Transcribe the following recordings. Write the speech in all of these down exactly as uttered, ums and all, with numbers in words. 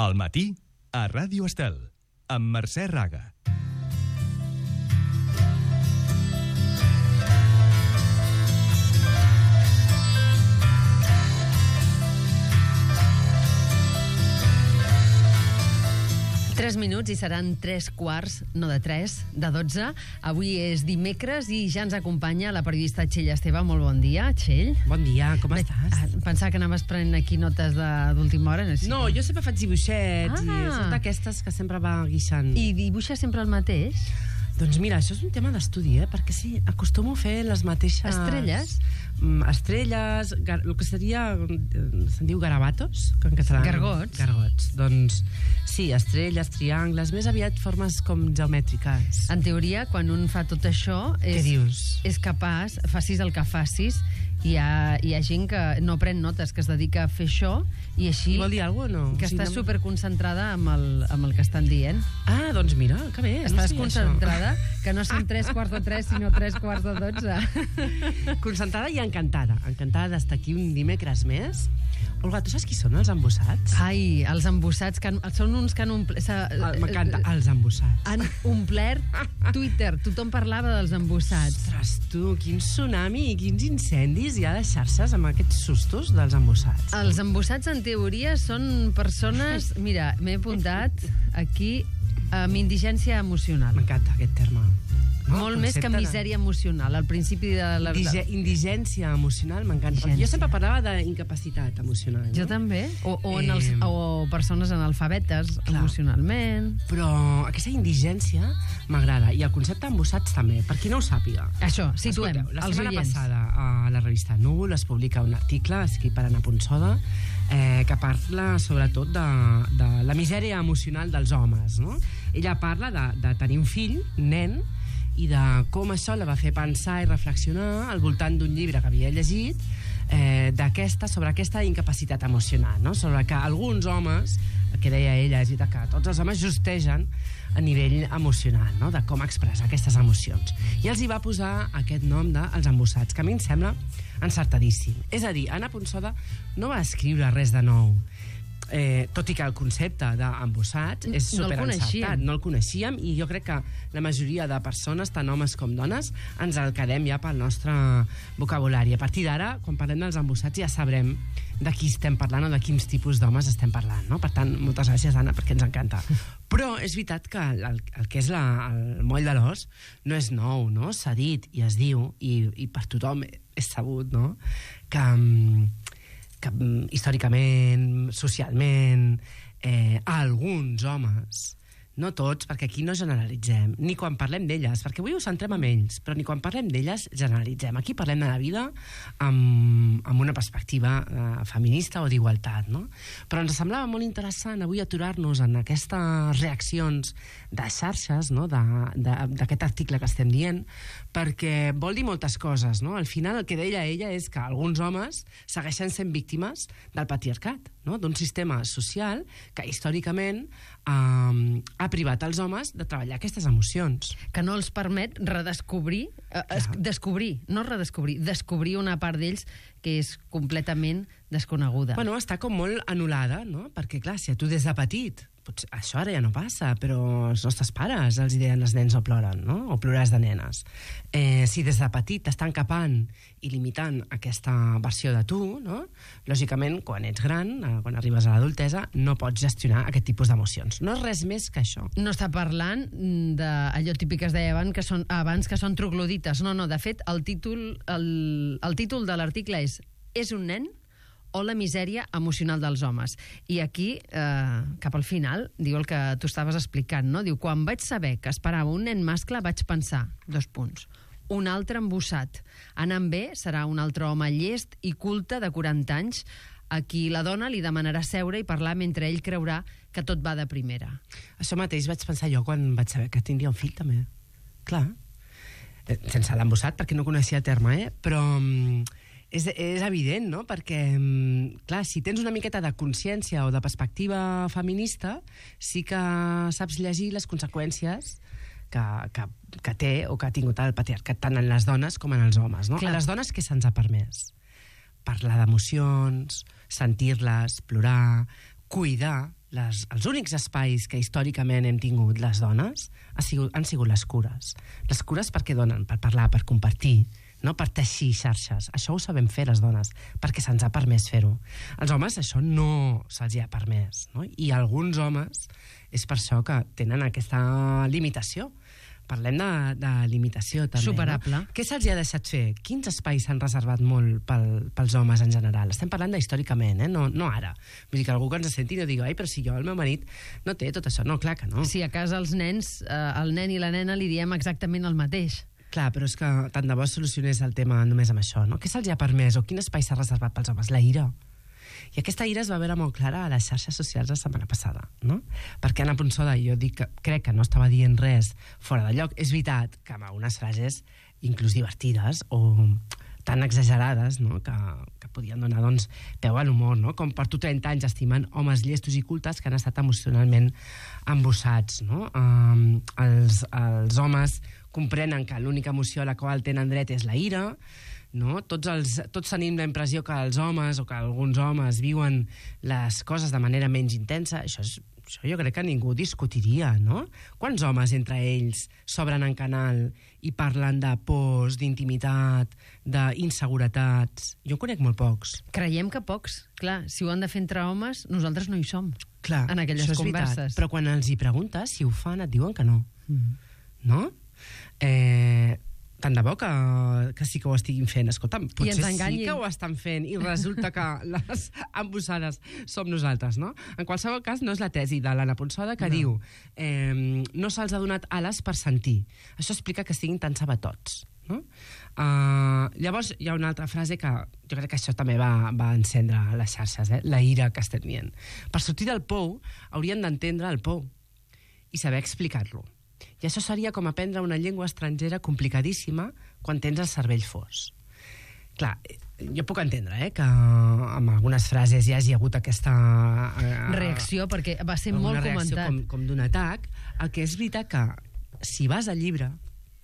Al matí, a Ràdio Estel, amb Mercè Raga. Tres minuts i seran tres quarts, no de tres, de dotze. Avui és dimecres i ja ens acompanya la periodista Txell Esteve. Molt bon dia, Txell. Bon dia, com Bé, estàs? Pensava que anaves prenent aquí notes d'última hora. No, sé. No, jo sempre faig dibuixets Ah. i són d'aquestes que sempre va guixant. I dibuixa sempre el mateix? Doncs mira, això és un tema d'estudi, eh? Perquè sí, acostumo a fer les mateixes... Estrelles? Mm, estrelles, gar... el que seria... se'n diu garabatos, que en català... Gargots. Gargots. Doncs sí, estrelles, triangles, més aviat formes com geomètriques. En teoria, quan un fa tot això... És, Què dius? És capaç, facis el que facis, hi ha, hi ha gent que no pren notes, que es dedica a fer això, i així... I vol dir alguna cosa o no? Que O sigui, està no- superconcentrada amb el, amb el que estan dient. Ah, doncs mira, que bé. no Estàs sabia concentrada, que no són tres quarts de tres, sinó tres quarts de dotze. això. Concentrada i encantada. Encantada d'estar aquí un dimecres més. Olga, tu saps qui són els embossats? Ai, els embossats, que han, són uns que han omplert... Ah, M'encanta, els embossats. Han omplert Twitter. Tothom parlava dels embossats. Ostres, tu, quin tsunami i quins incendis hi ha a les xarxes amb aquests sustos dels embossats. Els embossats, en teoria, són persones... Mira, m'he apuntat aquí amb indigència emocional. M'encanta aquest terme. No? Molt El més que concepte de- misèria emocional. Al principi de la... Indige indigència emocional m'encanta. perquè Jo Indigència. sempre parlava d'incapacitat emocional. No? Jo també. O, o, en els, Eh, o persones analfabetes clar. emocionalment. Però aquesta indigència m'agrada. I el concepte embossats també. Per qui no ho sàpiga. Això, situem Escolteu, la els setmana oients. passada a la revista Núvol es publica un article escrit per Anna Ponsoda eh, que parla sobretot de, de la misèria emocional dels homes, no? Ella parla de, de tenir un fill, un nen, i de com això la va fer pensar i reflexionar al voltant d'un llibre que havia llegit eh, d'aquesta, sobre aquesta incapacitat emocional, no? Sobre que alguns homes, el que deia ella és que tots els homes justegen a nivell emocional, no? De com expressar aquestes emocions. I els hi va posar aquest nom de Els embossats, que a mi em sembla encertadíssim. És a dir, Anna Ponsoda no va escriure res de nou, Eh, tot i que el concepte d'embossats és No el superencertat, coneixíem. no el coneixíem, i jo crec que la majoria de persones, tant homes com dones, ens el quedem ja pel nostre vocabulari. A partir d'ara, quan parlem dels embossats, ja sabrem de qui estem parlant o de quins tipus d'homes estem parlant, no? Per tant, moltes gràcies, Anna, perquè ens encanta. Però és veritat que el, el que és la, el moll de l'os no és nou, no? S'ha dit i es diu, i, i per tothom és sabut, no? Que... que històricament, socialment, eh, alguns homes, no tots, perquè aquí no generalitzem, ni quan parlem d'elles, perquè avui ho centrem en ells, però ni quan parlem d'elles generalitzem. Aquí parlem de la vida amb, amb una perspectiva eh, feminista o d'igualtat, no? Però ens semblava molt interessant avui aturar-nos en aquestes reaccions de xarxes, no? d'aquest article que estem dient, perquè vol dir moltes coses, no? Al final el que deia ella és que alguns homes segueixen sent víctimes del patriarcat, no? D'un sistema social que històricament eh, ha privat els homes de treballar aquestes emocions. Que no els permet redescobrir, eh, es, descobrir, no redescobrir, descobrir una part d'ells que és completament desconeguda. Bueno, està com molt anul·lada, no? Perquè, clar, si a tu des de petit, potser això ara ja no passa, però els nostres pares els deien els nens no ploren, no? O ploràs de nenes. Eh, si des de petit t'estan capant i limitant aquesta versió de tu, no? Lògicament, quan ets gran, eh, quan arribes a l'adultesa, no pots gestionar aquest tipus d'emocions. No és res més que això. No està parlant d'allò típic que es deia abans que són, abans que són troglodites. No, no, de fet, el títol, el, el títol de l'article és És un nen o la misèria emocional dels homes. I aquí, eh, cap al final, diu el que tu estaves explicant, no? Diu, quan vaig saber que esperava un nen mascle, vaig pensar, dos punts, un altre embossat. Anant bé, serà un altre home llest i culte de quaranta anys, a qui la dona li demanarà seure i parlar mentre ell creurà que tot va de primera. Això mateix vaig pensar jo quan vaig saber que tindria un fill, també. Clar. Eh, sense l'embossat, perquè no coneixia el terme, eh? Però... mm, És, és evident, no? Perquè, clar, si tens una miqueta de consciència o de perspectiva feminista, sí que saps llegir les conseqüències que, que, que té o que ha tingut el patriarcat tant en les dones com en els homes, no? Clar. A les dones què se'ns ha permès? Parlar d'emocions, sentir-les, plorar, cuidar, les, els únics espais que històricament hem tingut les dones ha sigut, han sigut les cures. Les cures perquè donen, per parlar, per compartir, no? Per teixir xarxes. Això ho sabem fer les dones, perquè se'ns ha permès fer-ho. Els homes això no se'ls ha permès, no? I alguns homes és per això que tenen aquesta limitació. Parlem de, de limitació, també. Superable. No? Què se'ls ha deixat fer? Quins espais s'han reservat molt pel, pels homes en general? Estem parlant d'històricament, eh? no, no ara. Vull dir que algú que ens senti no digui, ai, però si jo, el meu marit, no té tot això. No, clar que no. Si a casa els nens, eh, el nen i la nena li diem exactament el mateix. Clar, però és que tant de bo solucionés el tema només amb això, no? Què se'ls ha permès o quin espai s'ha reservat pels homes? La ira. I aquesta ira es va veure molt clara a les xarxes socials la setmana passada, no? Perquè Anna Ponsoda, jo dic que crec que no estava dient res fora de lloc. És veritat que amb algunes frases inclús divertides o tan exagerades, no? que, que podien donar doncs, peu a l'humor, no? Com per tu trenta anys estimen homes llestos i cultes que han estat emocionalment embossats, no? Um, els, els homes comprenen que l'única emoció a la qual tenen dret és la ira, no? Tots, els, tots tenim la impressió que els homes o que alguns homes viuen les coses de manera menys intensa. Això, és, això jo crec que ningú discutiria, no? Quants homes entre ells s'obren en canal i parlen de pors, d'intimitat, d'inseguretats? Jo en conec molt pocs. Creiem que pocs. Clar, si ho han de fer entre homes, nosaltres no hi som. Clar, en aquelles això és converses. Veritat, però quan els hi preguntes si ho fan et diuen que no. Mm. No? Eh... Tant de bo que, que sí que ho estiguin fent. Escolta'm, potser sí que ho estan fent i resulta que les embossades som nosaltres, no? En qualsevol cas, no és la tesi de l'Anna Ponsoda que no. diu eh, no se'ls ha donat ales per sentir. Això explica que estiguin tan sabatots, no? Uh, llavors hi ha una altra frase que jo crec que això també va, va encendre les xarxes, eh? La ira que estem dient. Per sortir del pou haurien d'entendre el pou i saber explicar-lo. I això seria com aprendre una llengua estrangera complicadíssima quan tens el cervell fos. Clar, jo puc entendre eh, que amb algunes frases ja hagi hagut aquesta... Eh, reacció, perquè va ser molt comentat. Com, com d'un atac. El que és veritat que si vas al llibre,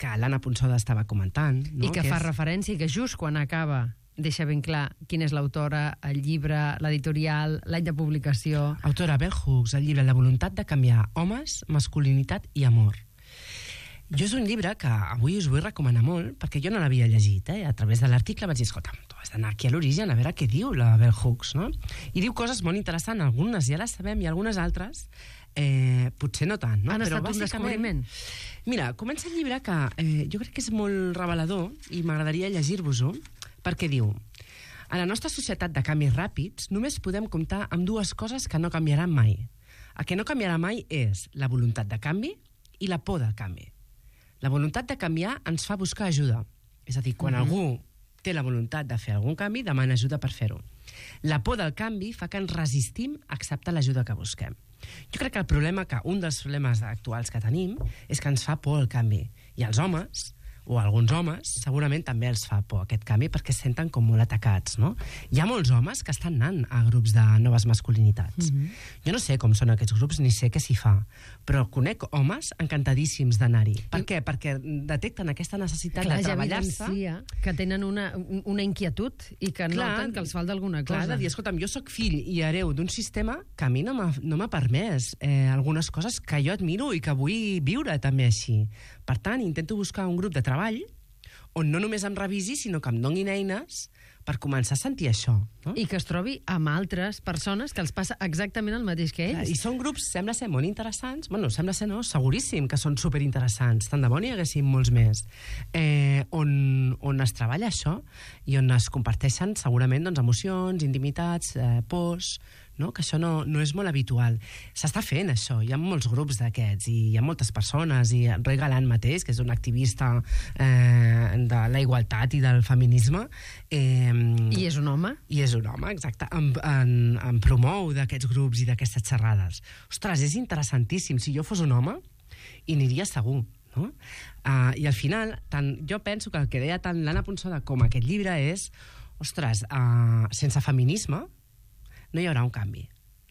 que l'Anna Ponsoda estava comentant... No? I que, que fa és... referència, i que just quan acaba deixa ben clar quina és l'autora, el llibre, l'editorial, l'any de publicació... Autora Bell Hooks, el llibre La voluntat de canviar homes, masculinitat i amor. Jo és un llibre que avui us vull recomanar molt, perquè jo no l'havia llegit, eh? A través de l'article vaig dir, escolta, tu has d'anar aquí a l'origen a veure què diu la Bell Hooks, no? I diu coses molt interessants, algunes ja les sabem i algunes altres eh, potser no tant, no? Han Però estat un descobriment. Mira, comença el llibre que eh, jo crec que és molt revelador i m'agradaria llegir-vos-ho, perquè diu: a la nostra societat de canvis ràpids només podem comptar amb dues coses que no canviaran mai. El que no canviarà mai és la voluntat de canvi i la por del canvi. La voluntat de canviar ens fa buscar ajuda. És a dir, quan mm-hmm. algú té la voluntat de fer algun canvi, demana ajuda per fer-ho. La por del canvi fa que ens resistim a acceptar l'ajuda que busquem. Jo crec que el problema, que un dels problemes actuals que tenim, és que ens fa por el canvi. I els homes, o alguns homes, segurament també els fa por aquest canvi perquè es senten com molt atacats, no? Hi ha molts homes que estan anant a grups de noves masculinitats. Mm-hmm. Jo no sé com són aquests grups ni sé què s'hi fa, però conec homes encantadíssims d'anar-hi. Per I... què? Perquè detecten aquesta necessitat clar, de treballar-se. Ja que tenen una, una inquietud i que clar, noten que els falta alguna cosa. Clar, de dir, escolta'm, jo sóc fill i hereu d'un sistema que a mi no m'ha no permès eh, algunes coses que jo admiro i que vull viure també així. Per tant, intento buscar un grup de treball on no només em revisi, sinó que em donin eines per començar a sentir això. No? I que es trobi amb altres persones que els passa exactament el mateix que ells. Clar, I són grups, sembla ser molt interessants, bueno, sembla ser no, seguríssim que són superinteressants, tant de bo n'hi haguessin molts més, eh, on, on es treballa això i on es comparteixen segurament doncs, emocions, intimitats, eh, pors, no? Que això no, no és molt habitual. S'està fent això, hi ha molts grups d'aquests i hi ha moltes persones, i Roy Galant mateix, que és un activista eh, de la igualtat i del feminisme, eh, i és un home? I és un home, exacte, em, en, em promou d'aquests grups i d'aquestes xerrades. Ostres, és interessantíssim. Si jo fos un home, hi aniria segur. No? Uh, I al final, tant, jo penso que el que deia tant l'Anna Ponsoda com aquest llibre és, ostres, uh, sense feminisme no hi haurà un canvi,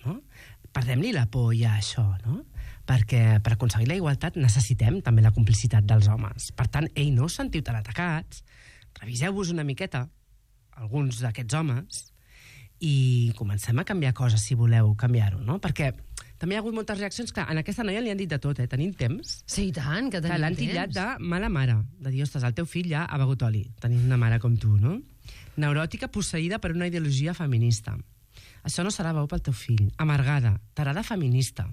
no? Perdem-li la por ja a això, no? Perquè per aconseguir la igualtat necessitem també la complicitat dels homes. Per tant, ei, no us sentiu tan atacats, reviseu-vos una miqueta, alguns d'aquests homes, i comencem a canviar coses si voleu canviar-ho, no? Perquè també hi ha hagut moltes reaccions. Clar, en aquesta noia li han dit de tot, eh? Tenim temps. Sí, i tant, que Clar, tenim l'han temps. titllat de mala mare. De dir, ostres, el teu fill ja ha begut oli. Tenint una mare com tu, no? Neuròtica posseïda per una ideologia feminista. Això no serà bo pel teu fill. Amargada. Tarada feminista.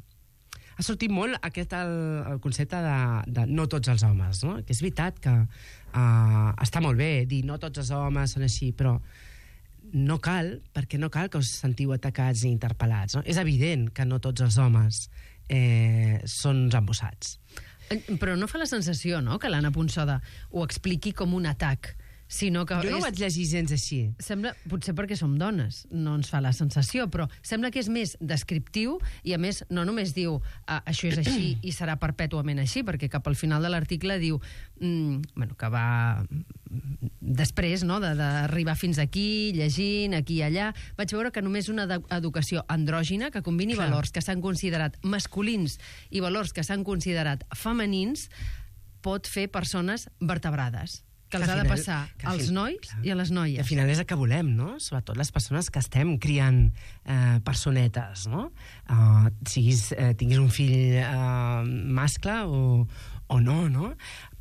Ha sortit molt aquest el, el concepte de, de no tots els homes, no? Que és veritat que uh, està molt bé dir no tots els homes són així, però no cal, perquè no cal que us sentiu atacats i interpel·lats, no? És evident que no tots els homes eh, són uns embossats. Però no fa la sensació, no?, que l'Anna Ponsoda ho expliqui com un atac, sinó que... Jo no és... ho vaig llegir gens així. Sembla, potser perquè som dones, no ens fa la sensació, però sembla que és més descriptiu i, a més, no només diu ah, això és així i serà perpètuament així, perquè cap al final de l'article diu mm, bueno, que va després, no?, d'arribar fins aquí, llegint, aquí i allà. Vaig veure que només una educació andrògina que combini Clar. valors que s'han considerat masculins i valors que s'han considerat femenins pot fer persones vertebrades, que els Que ha al de final- passar que al als fin- nois clar. i a les I noies. al final és el que volem, no? Sobretot les persones que estem criant eh, personetes, no? Uh, siguis, eh, tinguis un fill eh, mascle o, o no, no?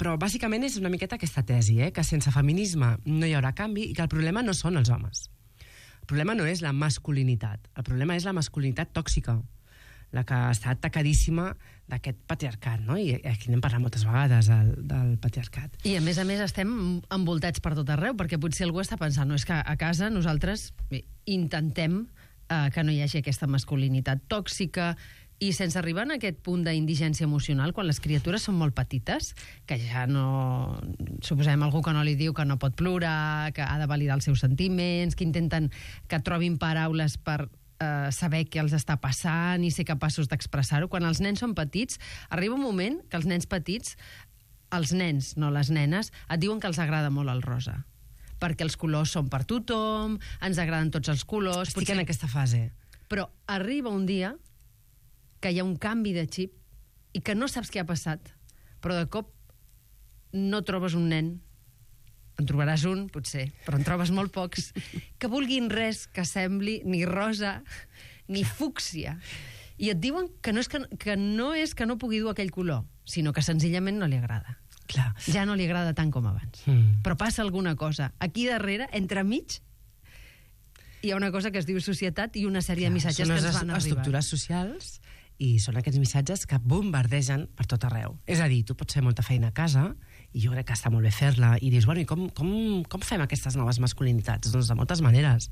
Però bàsicament és una miqueta aquesta tesi, eh? Que sense feminisme no hi haurà canvi i que el problema no són els homes. El problema no és la masculinitat, el problema és la masculinitat tòxica, la que està atacadíssima d'aquest patriarcat, no? I aquí n'hem parlat moltes vegades, del, del patriarcat. I a més a més estem envoltats per tot arreu, perquè potser algú està pensant, no, és que a casa nosaltres bé, intentem eh, que no hi hagi aquesta masculinitat tòxica i sense arribar a aquest punt d'indigència emocional, quan les criatures són molt petites, que ja no... Suposem algú que no li diu que no pot plorar, que ha de validar els seus sentiments, que intenten que trobin paraules per eh, saber què els està passant i ser capaços d'expressar-ho. Quan els nens són petits, arriba un moment que els nens petits, els nens, no les nenes, et diuen que els agrada molt el rosa, perquè els colors són per tothom, ens agraden tots els colors... Estic en aquesta fase. Però arriba un dia que hi ha un canvi de xip i que no saps què ha passat, però de cop no trobes un nen, en trobaràs un, potser, però en trobes molt pocs, que vulguin res que sembli ni rosa ni fúcsia. I et diuen que no és que, que no és que no pugui dur aquell color, sinó que senzillament no li agrada. Clar. Ja no li agrada tant com abans. Mm. Però passa alguna cosa. Aquí darrere, entremig, hi ha una cosa que es diu societat i una sèrie de missatges Són que ens les van arribar. estructures socials i són aquests missatges que bombardegen per tot arreu. És a dir, tu pots fer molta feina a casa i jo crec que està molt bé fer-la i dius, bueno, i com, com, com fem aquestes noves masculinitats? Doncs de moltes maneres.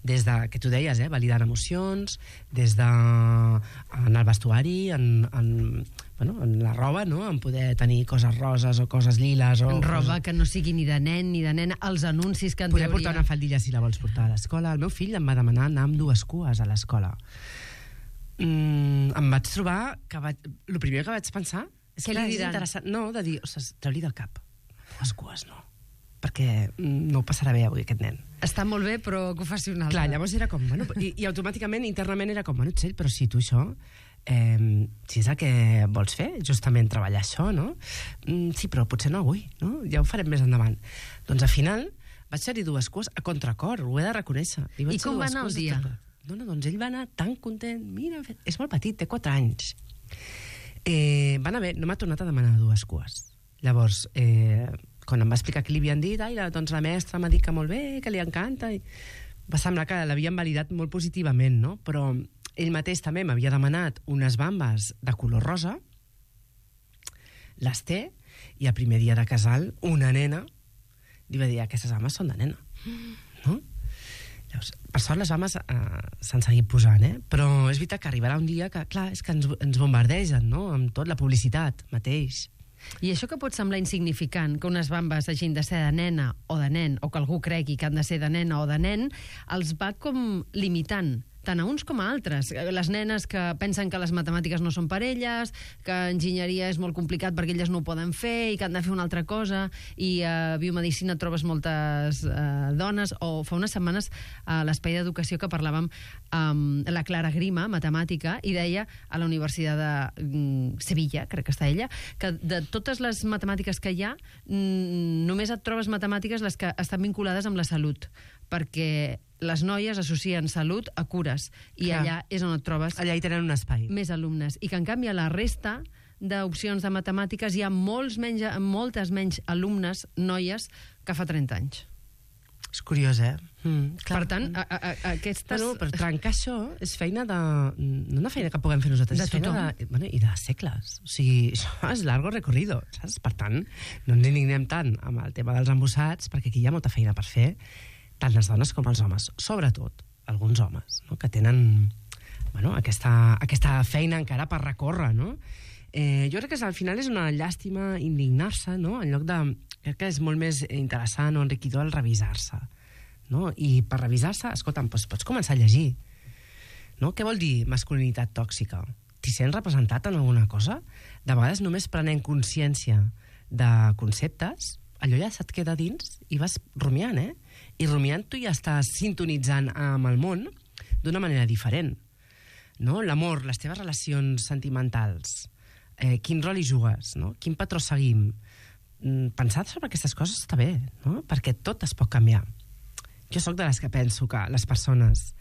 Des de, que tu deies, eh, validant emocions, des de en el vestuari, en, en, bueno, en la roba, no? En poder tenir coses roses o coses liles. O En roba coses... que no sigui ni de nen ni de nena, els anuncis que en Poder teoria... portar una faldilla si la vols portar a l'escola. El meu fill em va demanar anar amb dues cues a l'escola. Mm, em vaig trobar que vaig... el primer que vaig pensar és Què que li és diran? interessant. No, de dir, ostres, treu-li del cap. Dues cues no. Perquè mm, no ho passarà bé avui aquest nen. Està molt bé, però que ho faci una altra. Clar, llavors era com... Bueno, i, I automàticament, internament, era com... Bueno, Txell, però si tu això... Eh, si és el que vols fer, justament treballar això, no? Mm, sí, però potser no avui, no? Ja ho farem més endavant. Doncs al final vaig fer-hi dues cues a contracor, ho he de reconèixer. Li vaig I fer com va dues anar el cues de dia? tot. No, no, doncs ell va anar tan content. Mira, és molt petit, té quatre anys. Eh, va anar bé, no m'ha tornat a demanar dues cues. Llavors, eh, quan em va explicar què li havien dit, ai, doncs la mestra m'ha dit que molt bé, que li encanta, i va semblar que l'havien validat molt positivament, no? Però ell mateix també m'havia demanat unes bambes de color rosa, les té, i el primer dia de casal, una nena li va dir, aquestes bambes són de nena, no? Llavors, per sort les homes eh, s'han seguit posant, eh? Però és veritat que arribarà un dia que, clar, és que ens, ens bombardegen, no?, amb tot, la publicitat mateix. I això que pot semblar insignificant, que unes bambes hagin de ser de nena o de nen, o que algú cregui que han de ser de nena o de nen, els va com limitant, tant a uns com a altres. Les nenes que pensen que les matemàtiques no són per elles, que enginyeria és molt complicat perquè elles no ho poden fer i que han de fer una altra cosa, i a biomedicina trobes moltes eh, dones, o fa unes setmanes a l'espai d'educació que parlàvem amb la Clara Grima, matemàtica, i deia a la Universitat de mm, Sevilla, crec que està ella, que de totes les matemàtiques que hi ha, mm, només et trobes matemàtiques les que estan vinculades amb la salut, perquè les noies associen salut a cures, i Clar. allà és on et trobes Allà hi tenen un espai. més alumnes. I que, en canvi, a la resta d'opcions de matemàtiques hi ha molts menys, moltes menys alumnes, noies, que fa trenta anys. És curiós, eh? Mm, Per tant, a, a, a, aquestes... Bueno, per trencar això és feina de... No una feina que puguem fer nosaltres, De és feina tothom. de, bueno, i de segles. O sigui, això és largo recorrido, saps? Per tant, no ens indignem tant amb el tema dels embussats, perquè aquí hi ha molta feina per fer, tant les dones com els homes. Sobretot, alguns homes, no?, que tenen bueno, aquesta, aquesta feina encara per recórrer, no? Eh, jo crec que al final és una llàstima indignar-se, no?, en lloc de... Crec que és molt més interessant o enriquidor el revisar-se, no? I per revisar-se, escolta'm, doncs pots començar a llegir, no? Què vol dir masculinitat tòxica? T'hi sents representat en alguna cosa? De vegades només prenent consciència de conceptes, allò ja se't queda dins i vas rumiant, eh? I rumiant tu ja estàs sintonitzant amb el món d'una manera diferent, no? L'amor, les teves relacions sentimentals, eh, quin rol hi jugues, no? Quin patró seguim? Pensar sobre aquestes coses està bé, no? Perquè tot es pot canviar. Jo sóc de les que penso que les persones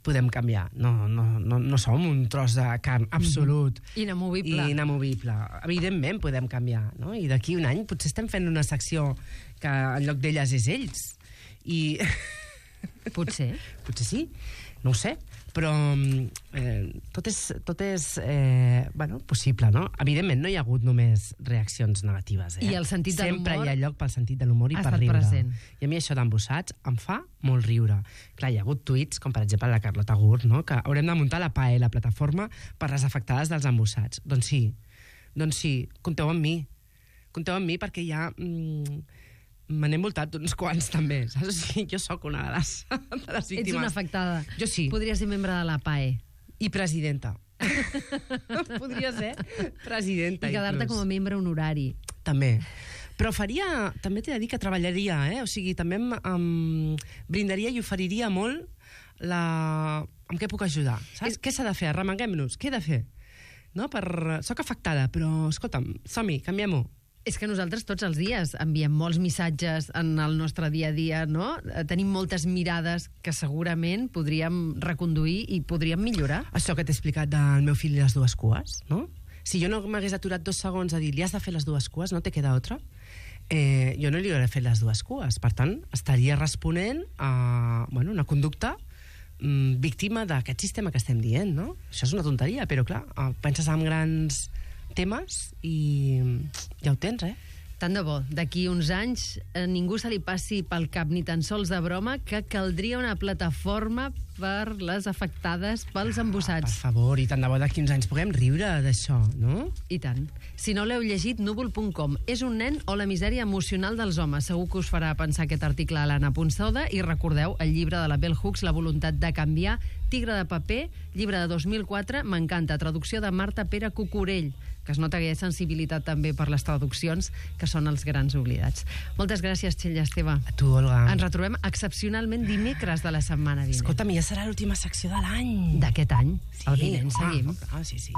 podem canviar. No, no, no, no som un tros de carn absolut. Mm-hmm. Inamovible. I inamovible. Evidentment podem canviar, no? I d'aquí un any potser estem fent una secció que en lloc d'elles és ells. I... Potser. Potser sí, no ho sé. Però eh, tot és, tot és eh, bueno, possible, no? Evidentment, no hi ha hagut només reaccions negatives. Eh? I el sentit de Sempre l'humor hi ha lloc pel sentit de l'humor i ha per estat riure. present. I a mi això d'embussats em fa molt riure. Clar, hi ha hagut tuits, com per exemple la Carlota Gurt, no?, que haurem de muntar la P A E, la plataforma per les afectades dels embussats. Doncs sí, doncs sí, compteu amb mi. Compteu amb mi perquè ja... Mm, me n'he envoltat d'uns quants, també, saps? O sigui, jo sóc una de les, de les víctimes. Ets una afectada. Jo sí. Podries ser membre de la P A E. I presidenta. Podria ser presidenta. I quedar-te com a membre honorari. També. Però faria... També t'he de dir que treballaria, eh? O sigui, també em, em brindaria i oferiria molt la... Amb què puc ajudar? Saps? És... Què s'ha de fer? Arremanguem-nos. Què he de fer? No? Per... Soc afectada, però, escolta'm, som-hi, canviem-ho. És que nosaltres tots els dies enviem molts missatges en el nostre dia a dia, no? Tenim moltes mirades que segurament podríem reconduir i podríem millorar. Això que t'he explicat del meu fill i les dues cues, no? Si jo no m'hagués aturat dos segons a dir li has de fer les dues cues, no te queda altra, eh, jo no li hauré fet les dues cues. Per tant, estaria responent a bueno, una conducta mm, víctima d'aquest sistema que estem dient, no? Això és una tonteria, però clar, penses en grans temes i ja ho tens, eh? Tant de bo, d'aquí uns anys a ningú se li passi pel cap ni tan sols de broma que caldria una plataforma per les afectades pels embussats. Ah, per favor, i tant de bo d'aquí uns anys puguem riure d'això, no? I tant. Si no l'heu llegit, núvol punt com. És un nen o la misèria emocional dels homes. Segur que us farà pensar aquest article a l'Anna Ponsoda. I recordeu, el llibre de la Bell Hooks, La voluntat de canviar, Tigre de paper, llibre de dos mil quatre, m'encanta, traducció de Marta Pere Cucurell, que es nota que hi ha sensibilitat també per les traduccions, que són els grans oblidats. Moltes gràcies, Txell Esteve. A tu, Olga. Ens retrobem excepcionalment dimecres de la setmana vinent. Escolta'm, ja serà l'última secció de l'any. D'aquest any. Sí. El vinent seguim. Ah, sí, sí.